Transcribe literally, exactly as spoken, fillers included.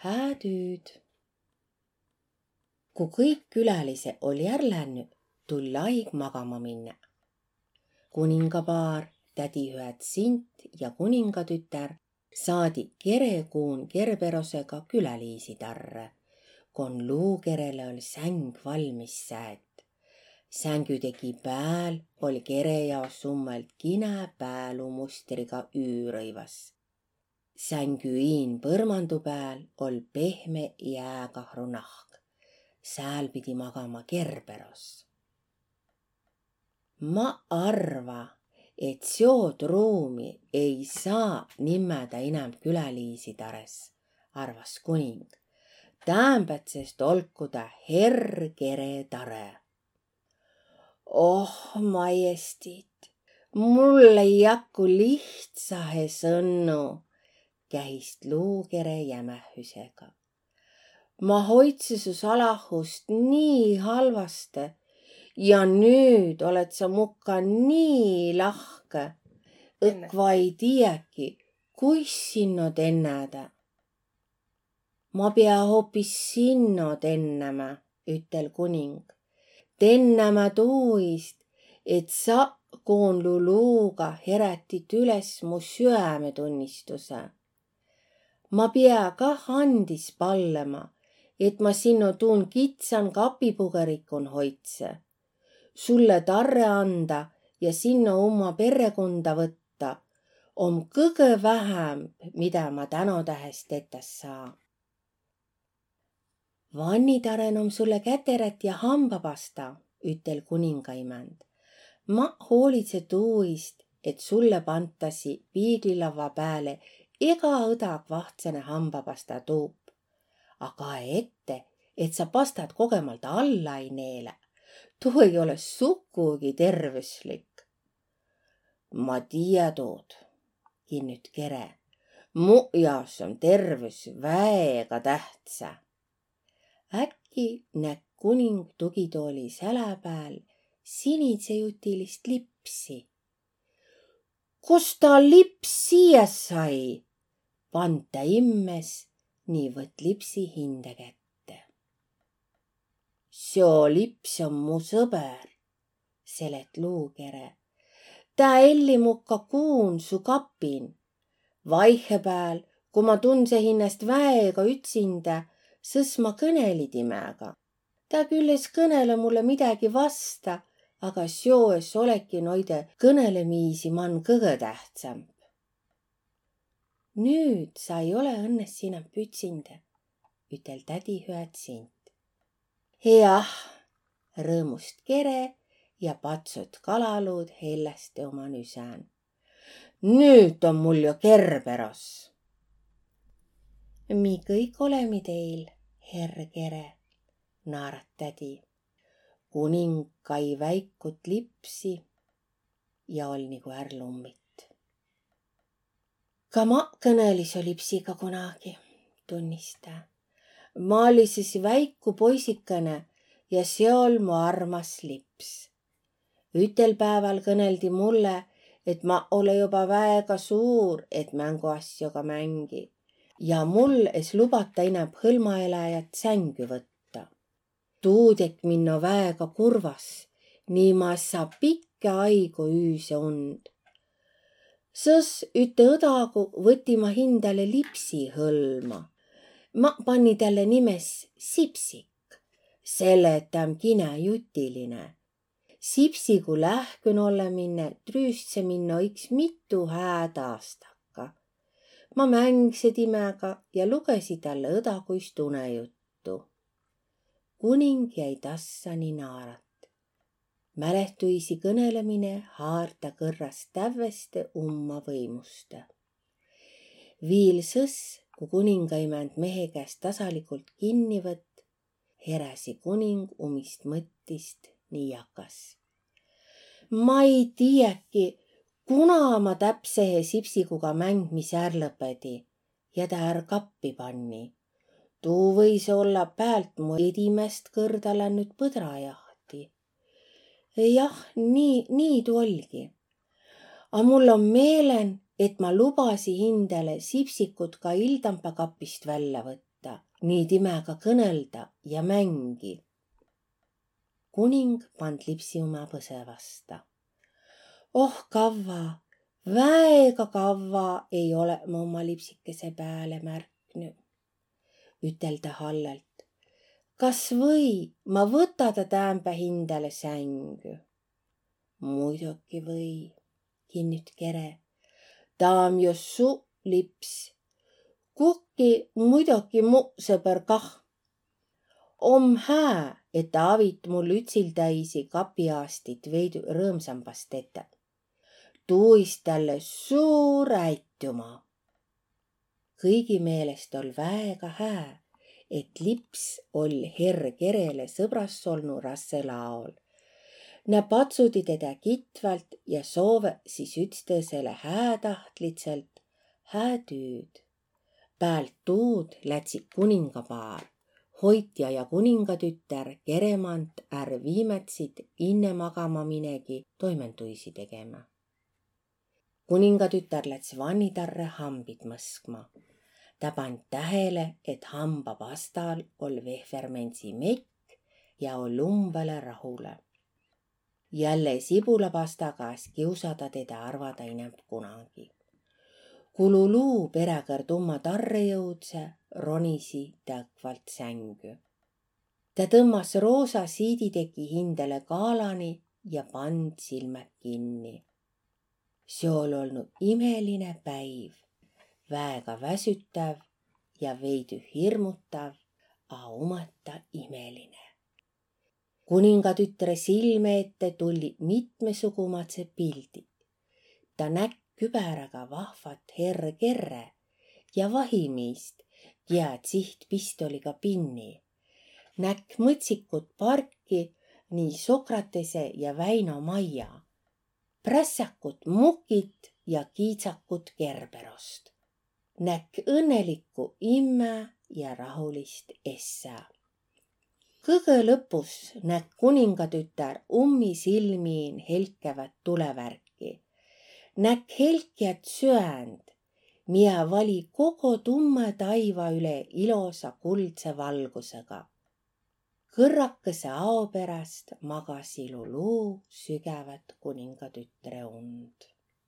Hää tüüd. Ku kõik külälise olli är lännü, tull aig magama minnä. Kuningapaar, tädihüäd Sint ja kuningatütär, saadi kerekuun Kerberosega küläliisi tarre, kon Luukerele oll säng valmis säet. Sängüdegi pääl oll kere jaos ummõlt kinä päälumustriga üürõivas. Sängü iin põrmandu pääl oll pehme jääkahru nahk. Sääl pidi magama Kerberos. Ma arva, et seod ruumi ei saa nimmädä inämb küläliisi tares, arvas kuning. Täämbädsest olku ta herr kere tare. Oh, majestiit, mul ei jakku lihtsahe sõnnu, kähist Luukere jämähüsega. Ma hoidse su salahust nii halvaste ja nüüt oled sa mukka nii lahke, õkva ei tiiäki, kuis sinno tennädä. Ma pea hoopis sinno tennämä, ütel kuning. Tennämä tuuist, et sa Koonlu luuga herätit üles mu süämetunnistusõ. Ma pea kah andis pallema, et ma sinno tuun kitsan kapipugarikkun hoidse. Sulle tarre anda ja sinno umma perrekunda võtta om kõgõ vähämb, midä ma tänotähes tetä saa. Vannitaren om sulle käterät ja hambapasta, ütel kuningaimand. Ma hoolidse tuuist, et sulle pantasi piiglilavva pääle ega õdag vahtsene hambapasta tuup. A kae ette, et sa pastad kogemalt alla ei neelä. Tuu ei ole sukugi tervüslik. Ma tiiä tuud, kinnüt kere. Mu jaos om tervüs väega tähtsä. Äkki näkk kuning tugitooli sälä pääl sinidsejutilist lipsi. Kos ta lips siia sai? Pand tä immes ni võtt lipsi hindä kätte. Seo lips om mu sõber, selet Luukere. Tä elli mukka kuun su kapin. Vaihepääl, ku ma tundse hinnäst väega ütsindä, sõs ma kõneli timäga. Tä küll es kõnele mulle midägi vasta, aga seo es oleki noide kõnelemiisi man kõgõ tähtsämb. Nüüt sa ei ole õnnes inämb ütsindä, ütel tädihüäd Sint. Jah, rõõmust kere ja patsut kalaluud helläste uma nüsän. Nüüt om mul jo Kerberos. Mi kõik olemi teil, herr kere, naarat tädi. Kuning kai väikut lipsi ja oll nigu är lummit. Ka ma kõneli so lipsiga kunagi, tunnis tä. Ma olli sis väiku poisikene ja seo oll mu armas lips. Ütel pääval kõneldi mulle, et ma ole joba väega suur, et mänguasjoga mängi. Ja mul es lubata inämb hõlmaeläjät sängü võtta. Tuu tekk minno väega kurvas, nii ma es saa pikkä aigu üüse und. Sõs ütte õdagu võti ma hindäle lipsi hõlma. Ma panni tälle nimes Sipsik, selle et tä om kinä jutiline. Sipsigu lähkün olleminne trüüstse minno iks mitu hääd aastakka. Ma mängse timäga ja lugesi tälle õdaguist unejuttu. Kuning jäi tassa ni naarat. Mälehtüisi kõnelemine haard ta kõrras tävveste umma võimuste. Viil sõs, ku kuningaimand mehe käest tasalikult kinni võtt, heräsi kuning umist mõttist ni jakas. Ma ei tiiäki, kuna ma täpsehe Sipsiguga mängmise är lõpedi ja tä är kappi panni. Tuu võis olla päält mu edimäst kõrda lännüt põdrajahti. Jah, nii, nii tuu ollgi. A mul om meelen, et ma lubasi hindäle Sipsikut ka ildampa kapist vällä võtta. nii timäga kõnõlda ja mängi. Kuning pand lipsi uma põsõ vasta. Oh, kavva, väega kavva ei ole ma uma lipsikese pääle märknü, ütel tä hallalt. Kas või ma võta ta täämbä hindäle sängü? Muidoki või, kinnüt Kere. Taa om jo su lips. Kukki muidoki mu sõbõr kah. Om hää, et avit mul ütsildäisi kapiaastit veidü rõõmsambas tetä. Tuuist tälle suur äitüma. Kõigi meelest oll' väega hää, et lips oll' herr Kerele sõbras olnu rassel aol. Nä patsudi tedä kitvalt ja soovõ sis ütstõsele häätahtlidsõlt hää tüüd. Päält tuud lätsi kuningapaar, hoitja ja kuningatütär, Keremant är viimätsit inne magama minegi toimenduisi tegemä. Kuningatütär läts vannitarre hambit mõskma. Tä pand tähele, et hambapastal oll' vehvermendsi mekk ja oll' umbele rahule. Jälle sibulapastaga es kiusada tedä arvada inämb kunagi. Kululuu peräkõrd umma tarre jõudse, ronisi tä õkvalt sängü. Tä tõmmas roosa siiditeki hindäle gaalani ja pand silmät kinni. Seo oll' olnu imeline päiv, väega väsütäv ja veidü hirmutav, a umõta imeline. Kuningatütre silme ette tulli mitmesugumadsed pildi. Ta näkk kübäraga vahvat herr Kerre ja vahimiist, kiä tsiht pistoliga pinni. Näkk mõtsikut parki, nii Sokratese ja Väino maja. Prässäkut mukit ja kiidsakut Gerberost. Näkk õnnelikku immä ja rahulist essä. Kõgõ lõpus näkk kuningatütär ummi silmiin helkävät tulevärki. Näkk helkjät süänd, miä vali kogo tummõ taiva üle ilosa kuldse valgusega. Kõrrakõse ao peräst magasi Luluu sügävät kuningatütre und.